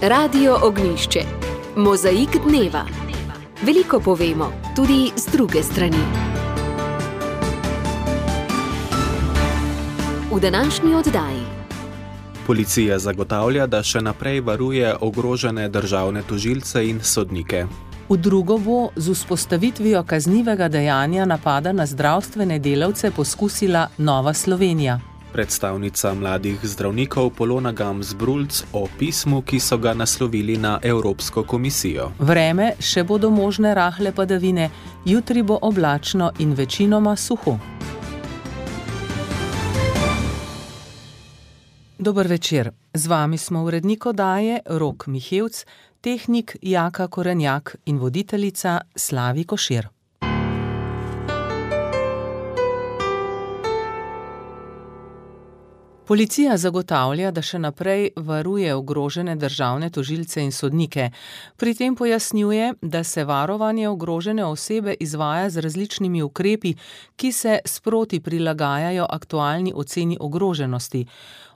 Radio Ognjišče. Mozaik dneva. Veliko povemo, tudi z druge strani. V današnji oddaji. Policija zagotavlja, da še naprej varuje ogrožene državne tožilce in sodnike. V drugo bo z vzpostavitvijo kaznivega dejanja napada na zdravstvene delavce poskusila Nova Slovenija. Predstavnica mladih zdravnikov Polona Gams-Brulc o pismu, ki so ga naslovili na Evropsko komisijo. Vreme, še bodo možne rahle padavine, jutri bo oblačno in večinoma suho. Dober večer, z vami smo urednik oddaje Rok Mihevc, tehnik Jaka Korenjak in voditeljica Slavi Košir. Policija zagotavlja, da še naprej varuje ogrožene državne tožilce in sodnike. Pri tem pojasnjuje, da se varovanje ogrožene osebe izvaja z različnimi ukrepi, ki se sproti prilagajajo aktualni oceni ogroženosti.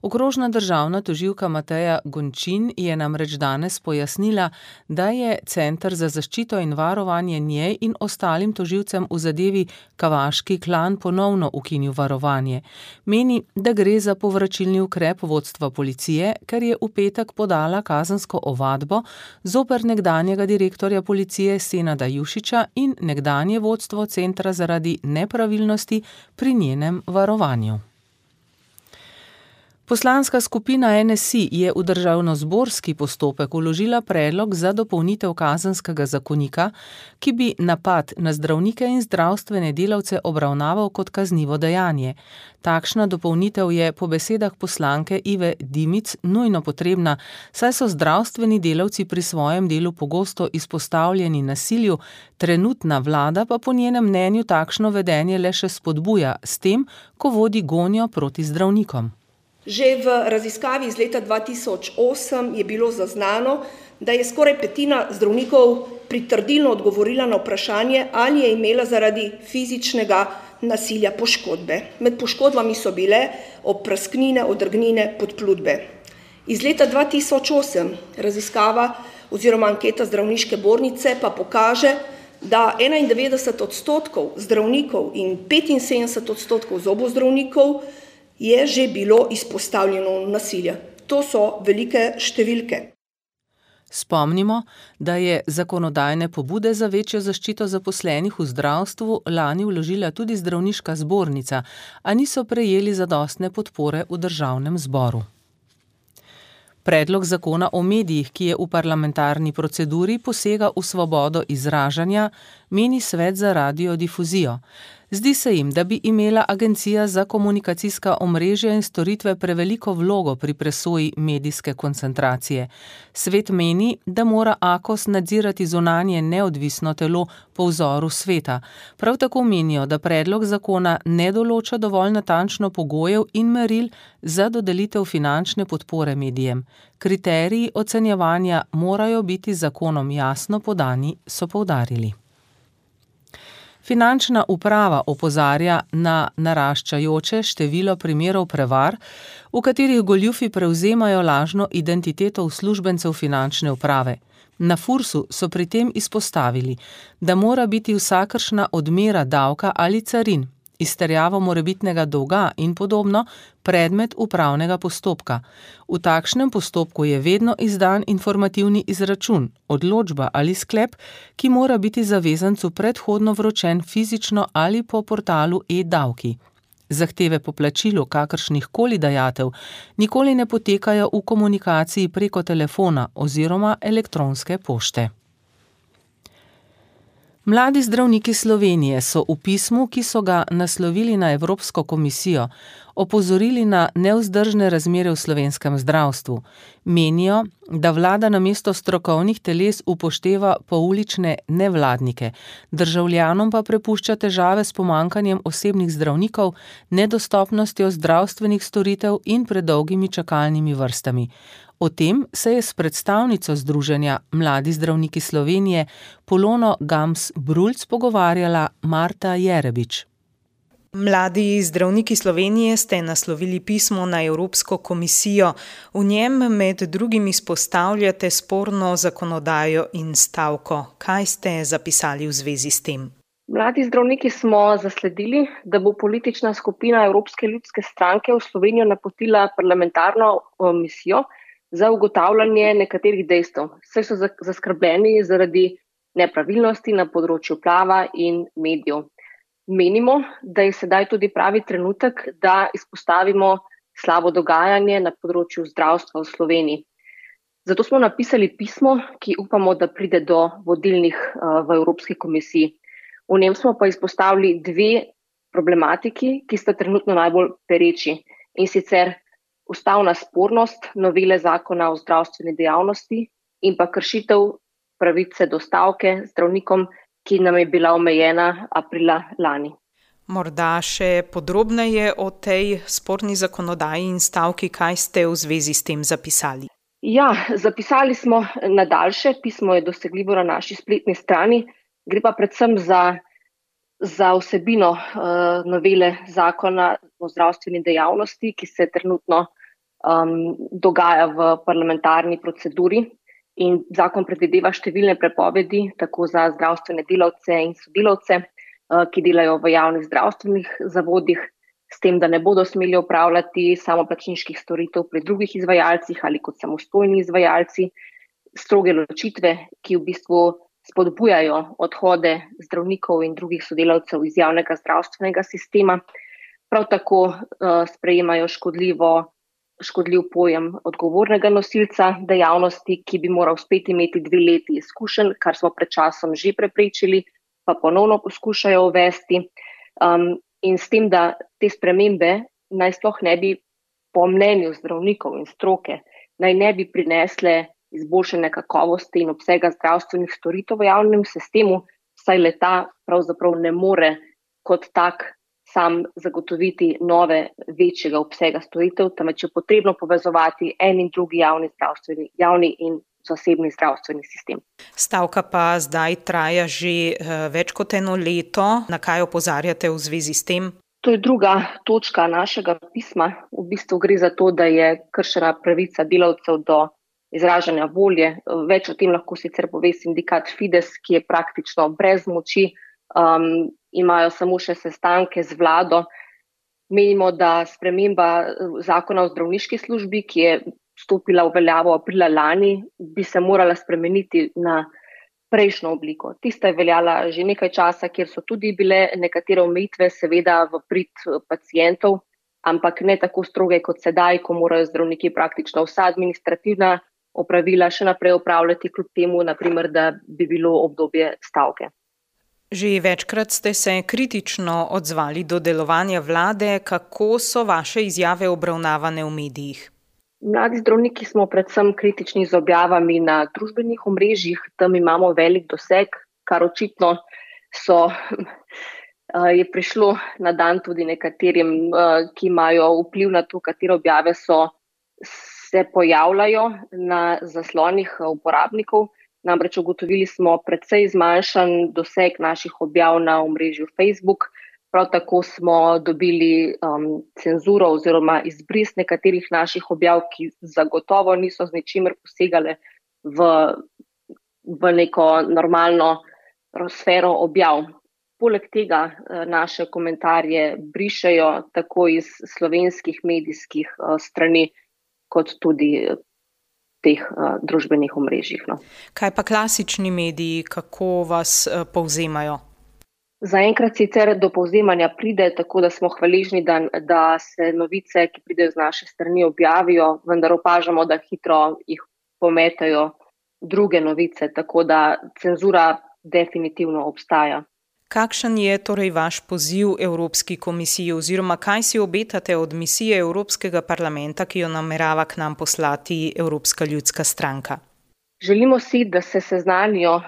Okrožna državna tožilka Mateja Gončin je namreč danes pojasnila, da je Center za zaščito in varovanje njej in ostalim tožilcem v zadevi Kavaški klan ponovno ukinil varovanje. Meni, da gre za povračilni ukrep vodstva policije, ker je v petek podala kazensko ovadbo zoper nekdanjega direktorja policije Senada Jušića in nekdanje vodstvo centra zaradi nepravilnosti pri njenem varovanju. Poslanska skupina NSI je v državnozborski postopek vložila predlog za dopolnitev kazenskega zakonika, ki bi napad na zdravnike in zdravstvene delavce obravnaval kot kaznivo dejanje. Takšna dopolnitev je po besedah poslanke Ive Dimic nujno potrebna, saj so zdravstveni delavci pri svojem delu pogosto izpostavljeni nasilju, trenutna vlada pa po njenem mnenju takšno vedenje le še spodbuja s tem, ko vodi gonjo proti zdravnikom. Že v raziskavi iz leta 2008 je bilo zaznano, da je skoraj petina zdravnikov pritrdilno odgovorila na vprašanje, ali je imela zaradi fizičnega nasilja poškodbe. Med poškodbami so bile oprasknine, odrgnine, podplutbe. Iz leta 2008 raziskava oziroma anketa zdravniške zbornice pa pokaže, da 91% zdravnikov in 75% zobozdravnikov je že bilo izpostavljeno nasilja. To so velike številke. Spomnimo, da je zakonodajne pobude za večjo zaščito zaposlenih v zdravstvu lani vložila tudi zdravniška zbornica, a niso prejeli zadostne podpore v državnem zboru. Predlog zakona o medijih, ki je v parlamentarni proceduri, posega v svobodo izražanja, meni Svet za radiodifuzijo. Zdi se jim, da bi imela Agencija za komunikacijska omrežja in storitve preveliko vlogo pri presoji medijske koncentracije. Svet meni, da mora AKOS nadzirati zunanje neodvisno telo po vzoru sveta. Prav tako menijo, da predlog zakona ne določa dovolj natančno pogojev in meril za dodelitev finančne podpore medijem. Kriteriji ocenjevanja morajo biti zakonom jasno podani, so poudarili. Finančna uprava opozarja na naraščajoče število primerov prevar, v katerih goljufi prevzemajo lažno identiteto uslužbencev finančne uprave. Na Fursu so pri tem izpostavili, da mora biti vsakršna odmera davka ali carin, izterjava morebitnega dolga in podobno predmet upravnega postopka. V takšnem postopku je vedno izdan informativni izračun, odločba ali sklep, ki mora biti zavezancu predhodno vročen fizično ali po portalu e-davki. Zahteve po plačilu kakršnih koli dajatev nikoli ne potekajo v komunikaciji preko telefona oziroma elektronske pošte. Mladi zdravniki Slovenije so v pismu, ki so ga naslovili na Evropsko komisijo, opozorili na nevzdržne razmere v slovenskem zdravstvu. Menijo, da vlada namesto strokovnih teles upošteva poulične nevladnike, državljanom pa prepušča težave s pomanjkanjem osebnih zdravnikov, nedostopnostjo zdravstvenih storitev in predolgimi čakalnimi vrstami. O tem se je s predstavnico Združenja Mladi zdravniki Slovenije Polono Gams-Brulc pogovarjala Marta Jerebič. Mladi zdravniki Slovenije ste naslovili pismo na Evropsko komisijo. V njem med drugim izpostavljate sporno zakonodajo in stavko. Kaj ste zapisali v zvezi s tem? Mladi zdravniki smo zasledili, da bo politična skupina Evropske ljudske stranke v Slovenijo napotila parlamentarno misijo za ugotavljanje nekaterih dejstev. Saj so zaskrbljeni zaradi nepravilnosti na področju prava in medijev. Menimo, da je sedaj tudi pravi trenutek, da izpostavimo slabo dogajanje na področju zdravstva v Sloveniji. Zato smo napisali pismo, ki upamo, da pride do vodilnih v Evropski komisiji. V njem smo pa izpostavili dve problematiki, ki sta trenutno najbolj pereči, in sicer ustavna spornost novele zakona o zdravstveni dejavnosti in pa kršitev pravice do stavke zdravnikom, ki nam je bila omejena aprila lani. Morda še podrobneje o tej sporni zakonodaji in stavki, kaj ste v zvezi s tem zapisali? Ja, zapisali smo na daljše, pismo je dosegljivo na naši spletni strani, gre pa predvsem za vsebino novele zakona o zdravstveni dejavnosti, ki se trenutno dogaja v parlamentarni proceduri. In zakon predvideva številne prepovedi, tako za zdravstvene delavce in sodelavce, ki delajo v javnih zdravstvenih zavodih, s tem, da ne bodo smeli opravljati samoplačniških storitev pri drugih izvajalcih ali kot samostojni izvajalci, stroge ločitve, ki v bistvu spodbujajo odhode zdravnikov in drugih sodelavcev iz javnega zdravstvenega sistema. Prav tako sprejemajo škodljiv pojem odgovornega nosilca dejavnosti, ki bi moral spet imeti 2 leti izkušenj, kar smo pred časom že preprečili, pa ponovno poskušajo uvesti. In s tem, da te spremembe naj sploh ne bi, po mnenju zdravnikov in stroke, naj ne bi prinesle izboljšane kakovosti in obsega zdravstvenih storitev v javnem sistemu, saj le-ta pravzaprav ne more kot tak sam zagotoviti nove, večjega obsega storitev, temveč je potrebno povezovati en in drugi javni in zasebni zdravstveni sistem. Stavka pa zdaj traja že več kot 1 leto. Na kaj opozarjate v zvezi s tem? To je druga točka našega pisma. V bistvu gre za to, da je kršena pravica delavcev do izražanja volje. Več o tem lahko sicer pove sindikat Fides, ki je praktično brez moči, imajo samo še sestanke z vlado. Menimo, da sprememba zakona o zdravniški službi, ki je stopila v veljavo aprila lani, bi se morala spremeniti na prejšnjo obliko. Tista je veljala že nekaj časa, kjer so tudi bile nekatere omejitve, seveda v prid pacientov, ampak ne tako stroge kot sedaj, ko morajo zdravniki praktično vsa administrativna opravila še naprej opravljati, kljub temu, naprimer, da bi bilo obdobje stavke. Že večkrat ste se kritično odzvali do delovanja vlade. Kako so vaše izjave obravnavane v medijih? Mladi zdravniki smo predvsem kritični z objavami na družbenih omrežjih, tam imamo velik doseg, kar očitno je prišlo na dan tudi nekaterim, ki imajo vpliv na to, katere objave se pojavljajo na zaslonih uporabnikov. Namreč ugotovili smo precej zmanjšan doseg naših objav na omrežju Facebook. Prav tako smo dobili cenzuro oziroma izbris nekaterih naših objav, ki zagotovo niso z ničimer posegale v neko normalno sfero objav. Poleg tega naše komentarje brišejo tako iz slovenskih medijskih strani, kot tudi teh družbenih omrežjih. No. Kaj pa klasični mediji, kako vas povzemajo? Zaenkrat sicer do povzemanja pride, tako da smo hvaležni, da se novice, ki pridejo z naše strani, objavijo, vendar opažamo, da hitro jih pometajo druge novice, tako da cenzura definitivno obstaja. Kakšen je torej vaš poziv Evropski komisiji oziroma kaj si obetate od misije Evropskega parlamenta, ki jo namerava k nam poslati Evropska ljudska stranka? Želimo si, da se seznanijo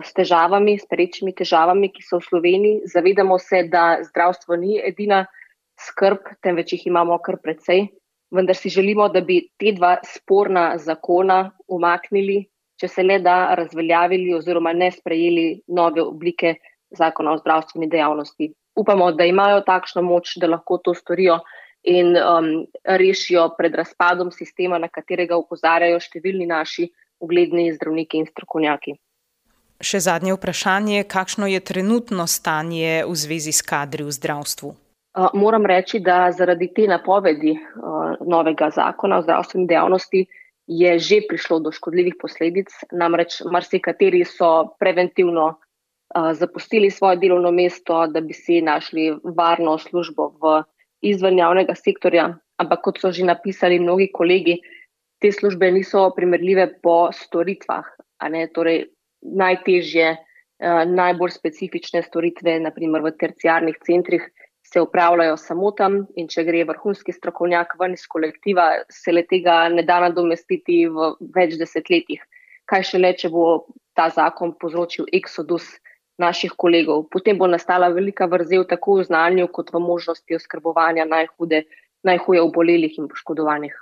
s težavami, s perečimi težavami, ki so v Sloveniji. Zavedamo se, da zdravstvo ni edina skrb, temveč jih imamo kar precej. Vendar si želimo, da bi te 2 sporna zakona umaknili, če se le da razveljavili oziroma ne sprejeli nove oblike zakona o zdravstveni dejavnosti. upamo, da imajo takšno moč, da lahko to storijo in rešijo pred razpadom sistema, na katerega opozarjajo številni naši ugledni zdravniki in strokovnjaki. Še zadnje vprašanje, kakšno je trenutno stanje v zvezi s kadri v zdravstvu? Moram reči, da zaradi te napovedi novega zakona o zdravstveni dejavnosti je že prišlo do škodljivih posledic, namreč marsikateri so preventivno zapustili svoje delovno mesto, da bi si našli varno službo izven javnega sektorja, ampak kot so že napisali mnogi kolegi, te službe niso primerljive po storitvah, torej najtežje, najbolj specifične storitve, naprimer v terciarnih centrih, se opravljajo samo tam in če gre vrhunski strokovnjak ven iz kolektiva, se le tega ne da nadomestiti v več desetletjih. Kaj šele, če bo ta zakon povzročil eksodus naših kolegov. Potem bo nastala velika vrzel tako v znanju kot v možnosti oskrbovanja najhuje obolelih in poškodovanih.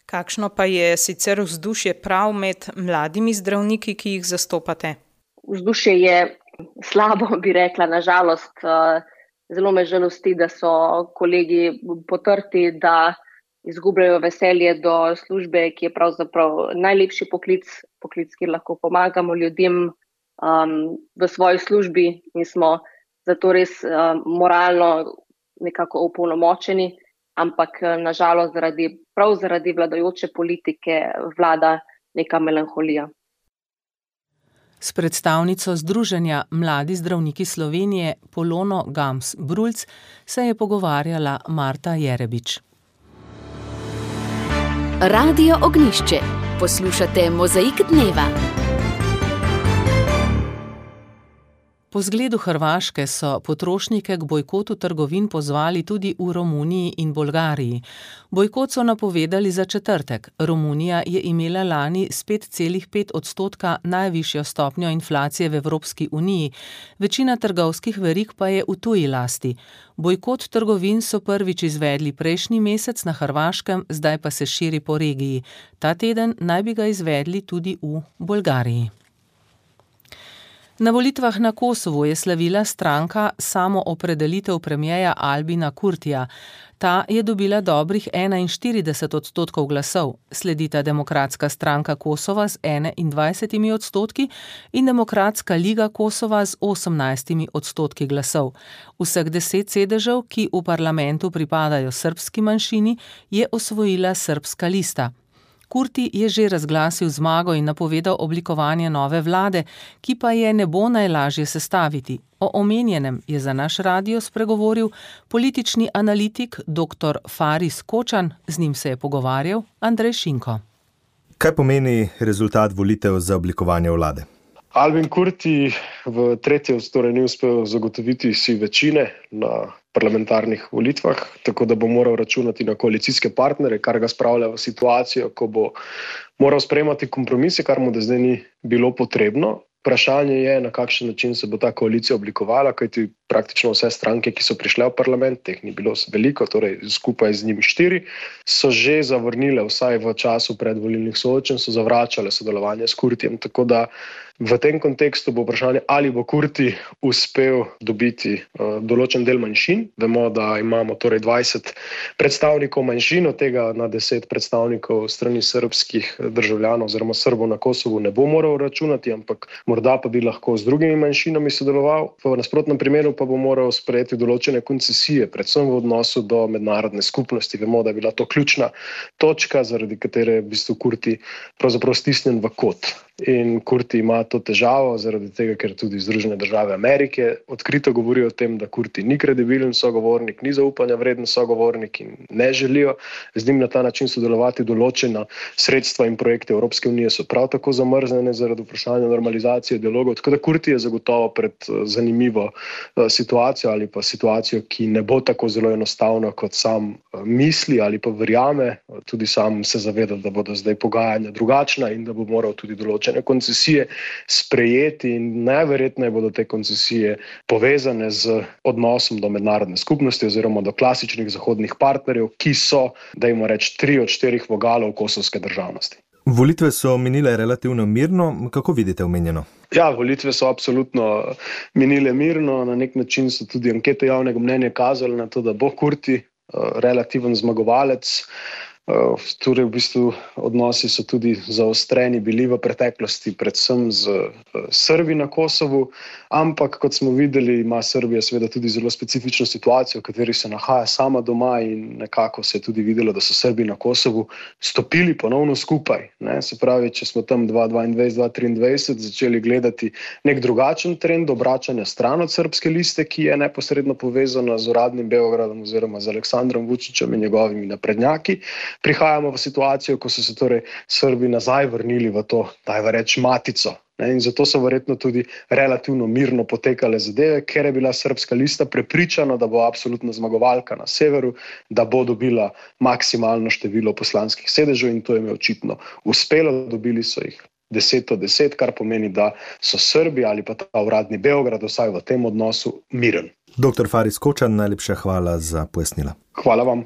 Kakšno pa je sicer vzdušje prav med mladimi zdravniki, ki jih zastopate? Vzdušje je slabo, bi rekla, nažalost. Zelo me žalosti, da so kolegi potrti, da izgubljajo veselje do službe, ki je pravzaprav najlepši poklic, kjer lahko pomagamo ljudem v svoji službi in smo zato res moralno nekako opolnomočeni, ampak nažalost prav zaradi vladajoče politike vlada neka melanholija. S predstavnico Združenja Mladi zdravniki Slovenije Polono Gams-Brulc se je pogovarjala Marta Jerebič. Radio Ognjišče. Poslušate Mozaik dneva. Po zgledu Hrvaške so potrošnike k bojkotu trgovin pozvali tudi v Romuniji in Bolgariji. Bojkot so napovedali za četrtek. Romunija je imela lani s 5,5% najvišjo stopnjo inflacije v Evropski uniji, večina trgovskih verig pa je v tuji lasti. Bojkot trgovin so prvič izvedli prejšnji mesec na Hrvaškem, zdaj pa se širi po regiji. Ta teden naj bi ga izvedli tudi v Bolgariji. Na volitvah na Kosovu je slavila stranka Samoopredelitev premierja Albina Kurtija. Ta je dobila dobrih 41% glasov. Sledita Demokratska stranka Kosova z 21% in Demokratska liga Kosova z 18% glasov. Vseh 10 sedežev, ki v parlamentu pripadajo srbski manjšini, je osvojila Srbska lista. Kurti je že razglasil zmago in napovedal oblikovanje nove vlade, ki pa je ne bo najlažje sestaviti. O omenjenem je za naš radio spregovoril politični analitik dr. Faris Kočan, z njim se je pogovarjal Andrej Šinko. Kaj pomeni rezultat volitev za oblikovanje vlade? Albin Kurti v tretjem ni uspel zagotoviti si večine na parlamentarnih volitvah, tako da bo moral računati na koalicijske partnere, kar ga spravlja v situacijo, ko bo moral sprejemati kompromise, kar mu do zdaj ni bilo potrebno. Vprašanje je, na kakšen način se bo ta koalicija oblikovala, kajti praktično vse stranke, ki so prišle v parlament, teh ni bilo veliko, torej skupaj z njimi 4, so že zavrnile, vsaj v času predvolilnih soočenj, so zavračale sodelovanje s Kurtijem. Tako da v tem kontekstu bo vprašanje, ali bo Kurti uspel dobiti določen del manjšin. Vemo, da imamo torej 20 predstavnikov manjšin, od tega na 10 predstavnikov strani srbskih državljanov oziroma Srbov na Kosovu ne bo moral računati, ampak morda pa bi lahko z drugimi manjšinami sodeloval. V nasprotnem primeru pa bo moral sprejeti določene koncesije, predvsem v odnosu do mednarodne skupnosti. Vemo, da je bila to ključna točka, zaradi katere je v bistvu Kurti pravzaprav stisnjen v kot. In Kurti ima to težavo zaradi tega, ker tudi Združene države Amerike odkrito govorijo o tem, da Kurti ni kredibilen sogovornik, ni zaupanja vreden sogovornik in ne želijo z njim na ta način sodelovati. Določena sredstva in projekte Evropske unije so prav tako zamrznjene zaradi vprašanja normalizacije dialogov. Tako da Kurti je zagotovo pred zanimivo situacijo ali pa situacijo, ki ne bo tako zelo enostavna, kot sam misli ali pa verjame. Tudi sam se zaveda, da bodo zdaj pogajanja drugačna in da bo moral tudi določene koncesije sprejeti in najverjetneje bodo te koncesije povezane z odnosom do mednarodne skupnosti oziroma do klasičnih zahodnih partnerjev, ki so, dajmo reči, 3 od 4 vogalov kosovske državnosti. Volitve so minile relativno mirno. Kako vidite omenjeno? Ja, volitve so absolutno minile mirno. Na nek način so tudi ankete javnega mnenja kazale na to, da bo Kurti relativen zmagovalec. Torej v bistvu odnosi so tudi zaostreni bili v preteklosti, predvsem z Srbi na Kosovu, ampak kot smo videli, ima Srbija seveda tudi zelo specifično situacijo, v kateri se nahaja sama doma in nekako se je tudi videlo, da so Srbi na Kosovu stopili ponovno skupaj. Se pravi, če smo tam 2022-2023 začeli gledati nek drugačen trend obračanja stran od srbske liste, ki je neposredno povezana z uradnim Beogradom oziroma z Aleksandrom Vučićem in njegovimi naprednjaki, prihajamo v situacijo, ko so se torej Srbi nazaj vrnili v to, dajva reči, matico. In zato so verjetno tudi relativno mirno potekale zadeve, ker je bila srbska lista prepričana, da bo absolutna zmagovalka na severu, da bo dobila maksimalno število poslanskih sedežev in to jim je očitno uspelo. Dobili so jih 10 od 10, kar pomeni, da so Srbi ali pa ta uradni Beograd vsaj v tem odnosu miren. Dr. Faris Kočan, najlepša hvala za pojasnila. Hvala vam.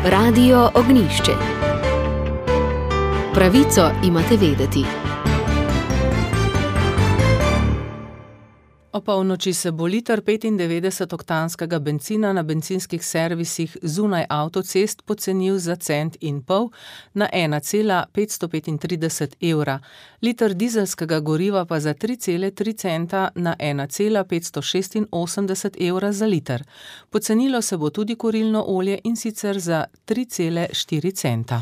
Radio Ognjišče. Pravico imate vedeti. O polnoči se bo liter 95-oktanskega bencina na bencinskih servisih zunaj avtocest pocenil za 1,5 centa na 1,535 evra, liter dizelskega goriva pa za 3,3 centa na 1,586 evra za liter. Pocenilo se bo tudi kurilno olje in sicer za 3,4 centa.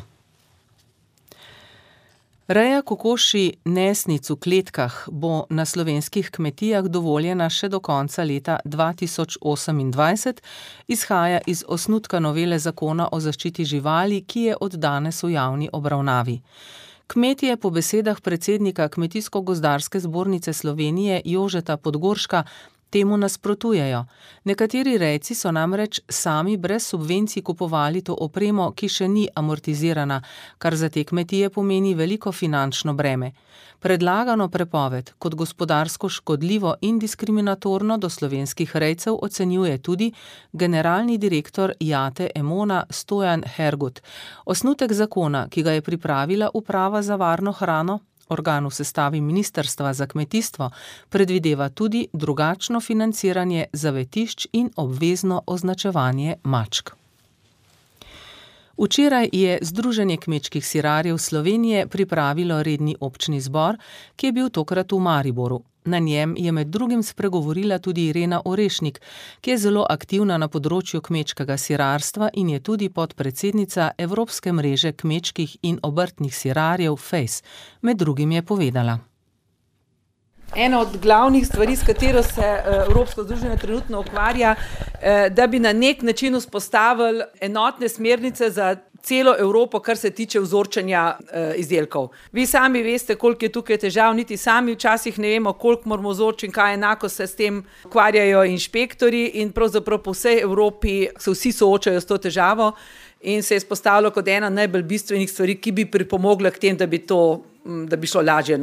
Reja kokoši nesnic v kletkah bo na slovenskih kmetijah dovoljena še do konca leta 2028, izhaja iz osnutka novele zakona o zaščiti živali, ki je od danes v javni obravnavi. Kmetje po besedah predsednika Kmetijsko-gozdarske zbornice Slovenije Jožeta Podgorška temu nasprotujejo. Nekateri rejci so namreč sami brez subvencij kupovali to opremo, ki še ni amortizirana, kar za te kmetije pomeni veliko finančno breme. Predlagano prepoved kot gospodarsko škodljivo in diskriminatorno do slovenskih rejcev ocenjuje tudi generalni direktor Jate Emona Stojan Hergut. Osnutek zakona, ki ga je pripravila Uprava za varno hrano, organ v sestavi Ministrstva za kmetijstvo, predvideva tudi drugačno financiranje zavetišč in obvezno označevanje mačk. Včeraj je Združenje kmečkih sirarjev Slovenije pripravilo redni občni zbor, ki je bil tokrat v Mariboru. Na njem je med drugim spregovorila tudi Irena Orešnik, ki je zelo aktivna na področju kmečkega sirarstva in je tudi podpredsednica Evropske mreže kmečkih in obrtnih sirarjev FACE. Med drugim je povedala. Ena od glavnih stvari, s katero se Evropsko združenje trenutno ukvarja, da bi na nek način vzpostavili enotne smernice za celo Evropo, kar se tiče vzorčenja izdelkov. Vi sami veste, koliko je tukaj težav, niti sami včasih ne vemo, koliko moramo vzorčiti, kaj enako se s tem ukvarjajo inšpektori in pravzaprav po vsej Evropi se vsi soočajo s to težavo in se je izpostavilo kot ena najbolj bistvenih stvari, ki bi pripomogla k tem, da bi šlo lažje.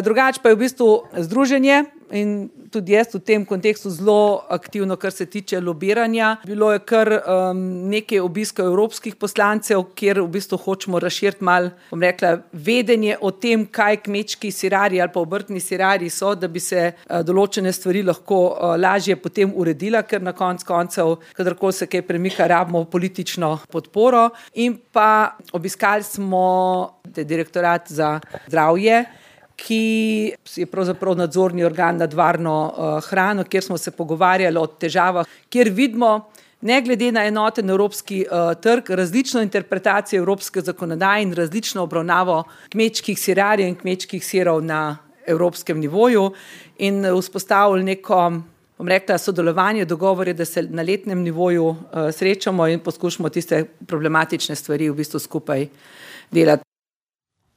Drugače pa je v bistvu združenje in tudi jaz v tem kontekstu zelo aktivno, kar se tiče lobiranja. Bilo je kar nekaj obiskov evropskih poslancev, kjer v bistvu hočemo razširiti malo, bom rekla, vedenje o tem, kaj kmečki sirarji ali pa obrtni sirarji so, da bi se določene stvari lahko lažje potem uredila, ker na koncev, kadarkoli se kaj premika, rabimo politično podporo. In pa obiskali smo direktorat za zdravje, ki je pravzaprav nadzorni organ nad varno hrano, kjer smo se pogovarjali o težavah, kjer vidimo, ne glede na enoten evropski trg, različno interpretacijo evropske zakonodaje in različno obravnavo kmečkih sirarjev in kmečkih sirov na evropskem nivoju in vzpostavili neko, bom rekla, sodelovanje, dogovor je, da se na letnem nivoju srečamo in poskušamo tiste problematične stvari v bistvu skupaj delati.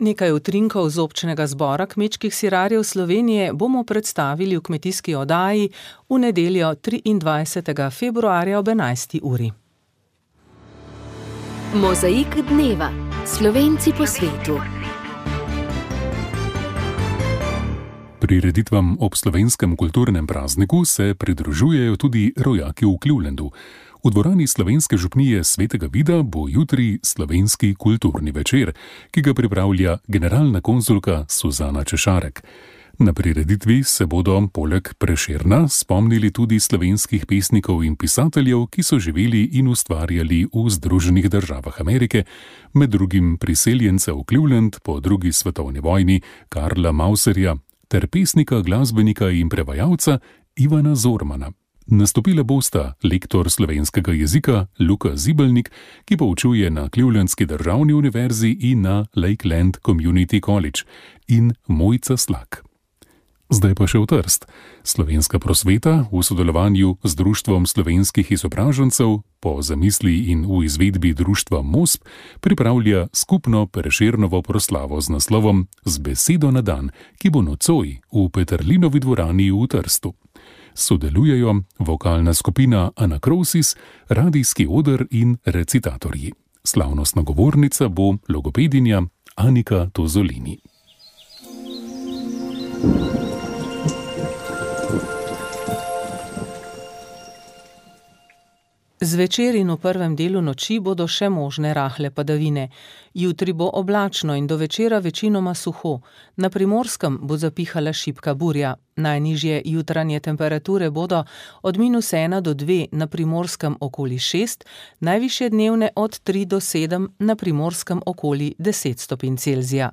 Nekaj utrinkov z občnega zbora kmečkih sirarjev Slovenije bomo predstavili v kmetijski oddaji v nedeljo 23. februarja ob 11. uri. Mozaik dneva. Slovenci po svetu. Prireditvam ob slovenskem kulturnem prazniku se pridružujejo tudi rojaki v Clevelandu. V dvorani Slovenske župnije Svetega Vida bo jutri slovenski kulturni večer, ki ga pripravlja generalna konzulka Suzana Češarek. Na prireditvi se bodo poleg Prešerna spomnili tudi slovenskih pesnikov in pisateljev, ki so živeli in ustvarjali v Združenih državah Amerike, med drugim priseljenca v Cleveland po drugi svetovni vojni Karla Mauserja ter pesnika, glasbenika in prevajalca Ivana Zormana. Nastopila bosta lektor slovenskega jezika Luka Zibelnik, ki poučuje na Clevelandski državni univerzi in na Lakeland Community College, in Mojca Slak. Zdaj pa še v Trst. Slovenska prosveta v sodelovanju z Društvom slovenskih izobražencev po zamisli in v izvedbi društva MOSP pripravlja skupno Prešernovo proslavo z naslovom Z besedo na dan, ki bo nocoj v Peterlinovi dvorani v Trstu. Sodelujejo vokalna skupina Anakrosis, radijski oder in recitatorji. Slavnostna govornica bo logopedinja Anika Tozolini. Zvečer in v prvem delu noči bodo še možne rahle padavine. Jutri bo oblačno in do večera večinoma suho. Na Primorskem bo zapihala šibka burja. Najnižje jutranje temperature bodo od -1 do 2, na Primorskem okoli 6, najvišje dnevne od 3 do 7, na Primorskem okoli 10 stopinj Celzija.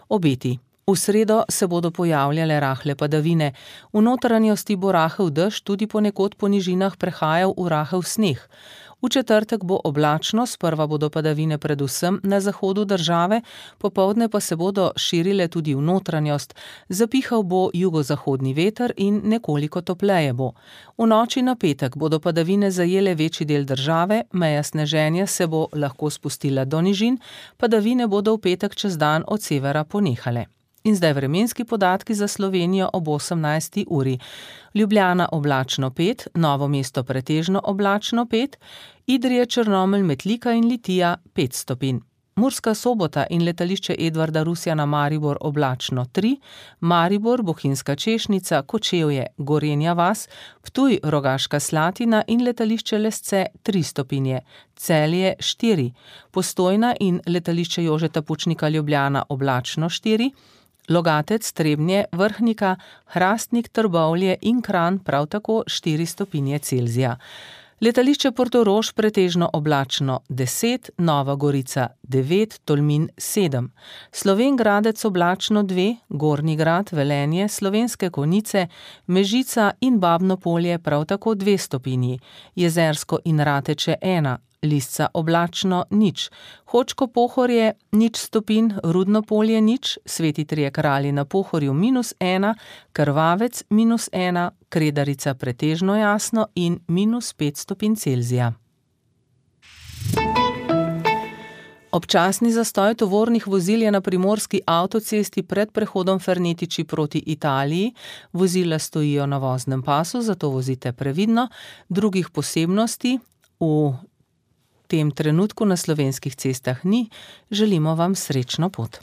Obeti. V sredo se bodo pojavljale rahle padavine. V notranjosti bo rahel dež, tudi ponekod po nižinah prehajal v rahel sneg. V četrtek bo oblačno, sprva bodo padavine predvsem na zahodu države, popoldne pa se bodo širile tudi v notranjost. Zapihal bo jugozahodni veter in nekoliko topleje bo. V noči na petek bodo padavine zajele večji del države, meja sneženja se bo lahko spustila do nižin, padavine bodo v petek čez dan od severa ponehale. In zdaj vremenski podatki za Slovenijo ob 18. uri. Ljubljana oblačno 5, Novo mesto pretežno oblačno 5, Idrija, Črnomelj, Metlika in Litija 5 stopinj. Murska Sobota in letališče Edvarda Rusjana Maribor oblačno 3, Maribor, Bohinjska Češnica, Kočevje, Gorenja vas, Ptuj, Rogaška Slatina in letališče Lesce 3 stopinje, Celje 4, Postojna in letališče Jožeta Pučnika Ljubljana oblačno 4, Logatec, Trebnje, Vrhnika, Hrastnik, Trbovlje in Kranj prav tako 4 stopinje Celzija. Letališče Portorož pretežno oblačno 10, Nova Gorica 9, Tolmin 7, Slovenj Gradec oblačno 2, Gornji Grad, Velenje, Slovenske Konjice, Mežica in Babno Polje prav tako 2 stopinji, Jezersko in Rateče 1, Lisca oblačno 0, Hočko Pohorje 0 stopinj, Rudno Polje 0, Sveti Trije Kralji na Pohorju -1, Krvavec -1, Kredarica pretežno jasno in -5 stopinj Celzija. Občasni zastoj tovornih vozil je na primorski avtocesti pred prehodom Fernetiči proti Italiji. Vozila stojijo na voznem pasu, zato vozite previdno. Drugih posebnosti v tem trenutku na slovenskih cestah ni. Želimo vam srečno pot.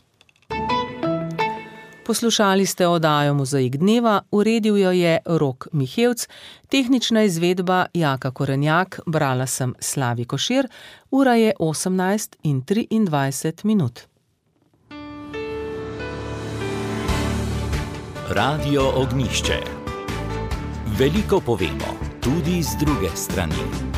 Poslušali ste oddajo Mozaik dneva, uredil jo je Rok Mihevc, tehnična izvedba Jaka Korenjak, brala sem Slavi Košir, ura je 18:23. Radio Ognjišče. Veliko povemo, tudi z druge strani.